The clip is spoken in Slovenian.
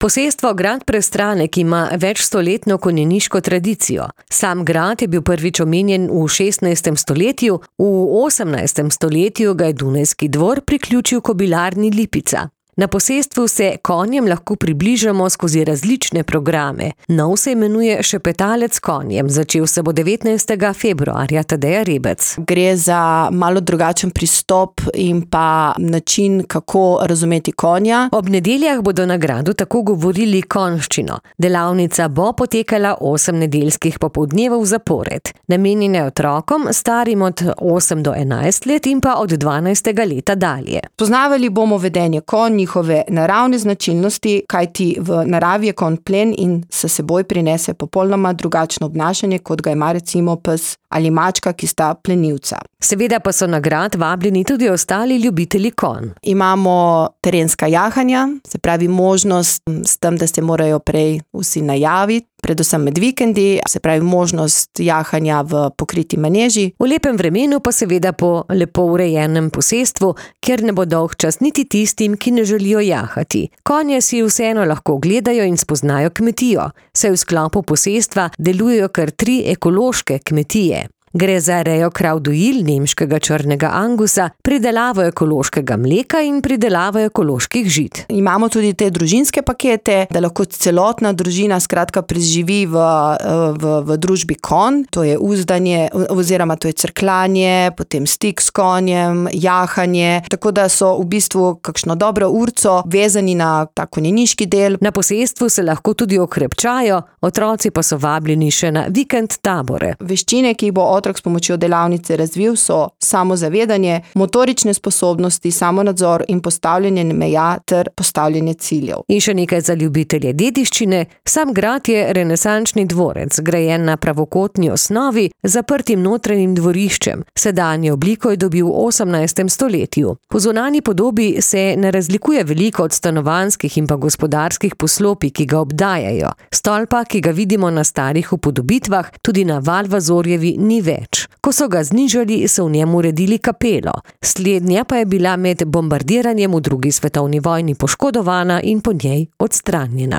Posestvo grad Prestranek ima večstoletno konjeniško tradicijo. Sam grad je bil prvič omenjen v 16. stoletju, v 18. stoletju ga je Dunajski dvor priključil kobilarni Lipica. Na posestvu se konjem lahko približamo skozi različne programe. Nov se imenuje Šepetalec s konjem, začel se bo 19. februarja, Tadeja Rebec. Gre za malo drugačen pristop in pa način, kako razumeti konja. Ob nedeljah bodo na gradu tako govorili konjščino. Delavnica bo potekala 8 nedeljskih popoldnevov zapored. Namenjene otrokom, starim od 8 do 11 let in pa od 12. leta dalje. Poznavali bomo vedenje konj, njihove naravne značilnosti, kajti v naravi je konj plen in s seboj prinese popolnoma drugačno obnašanje, kot ga ima recimo pes ali mačka, ki sta plenilca. Seveda pa so na grad vabljeni tudi ostali ljubitelji konj. Imamo terenska jahanja, se pravi možnost s tem, da se morajo prej vsi najaviti, predvsem med vikendi, se pravi možnost jahanja v pokriti maneži. V lepem vremenu pa seveda po lepo urejenem posestvu, kjer ne bo dolgčas niti tistim, ki ne želijo jahati. Konje si vseeno lahko gledajo in spoznajo kmetijo, saj v sklopu posestva delujejo kar 3 ekološke kmetije. Gre za rejo krav dojil nemškega črnega angusa, pridelavo ekološkega mleka in pridelavo ekoloških žit. Imamo tudi te družinske pakete, da lahko celotna družina skratka preživi v družbi konj. To je uzdanje oziroma to je crkljanje, potem stik s konjem, jahanje, tako da so v bistvu kakšno dobro urco vezani na ta konjeniški del. Na posestvu se lahko tudi okrepčajo, otroci pa so vabljeni še na vikend tabore. Veščine, ki jih bo otrok s pomočjo delavnice razvil, so samozavedanje, motorične sposobnosti, samonadzor in postavljanje meja ter postavljanje ciljev. In še nekaj za ljubitelje dediščine. Sam grad je renesančni dvorec, grajen na pravokotni osnovi, zaprtim notranjim dvoriščem. Sedanjo obliko je dobil v 18. stoletju. Po zunanji podobi se ne razlikuje veliko od stanovanjskih in pa gospodarskih poslopij, ki ga obdajajo. Stolpa, ki ga vidimo na starih upodobitvah, tudi na Valvazorjevi ni več. Ko so ga znižali, so v njem uredili kapelo. Slednja pa je bila med bombardiranjem v 2. svetovni vojni poškodovana in po njej odstranjena.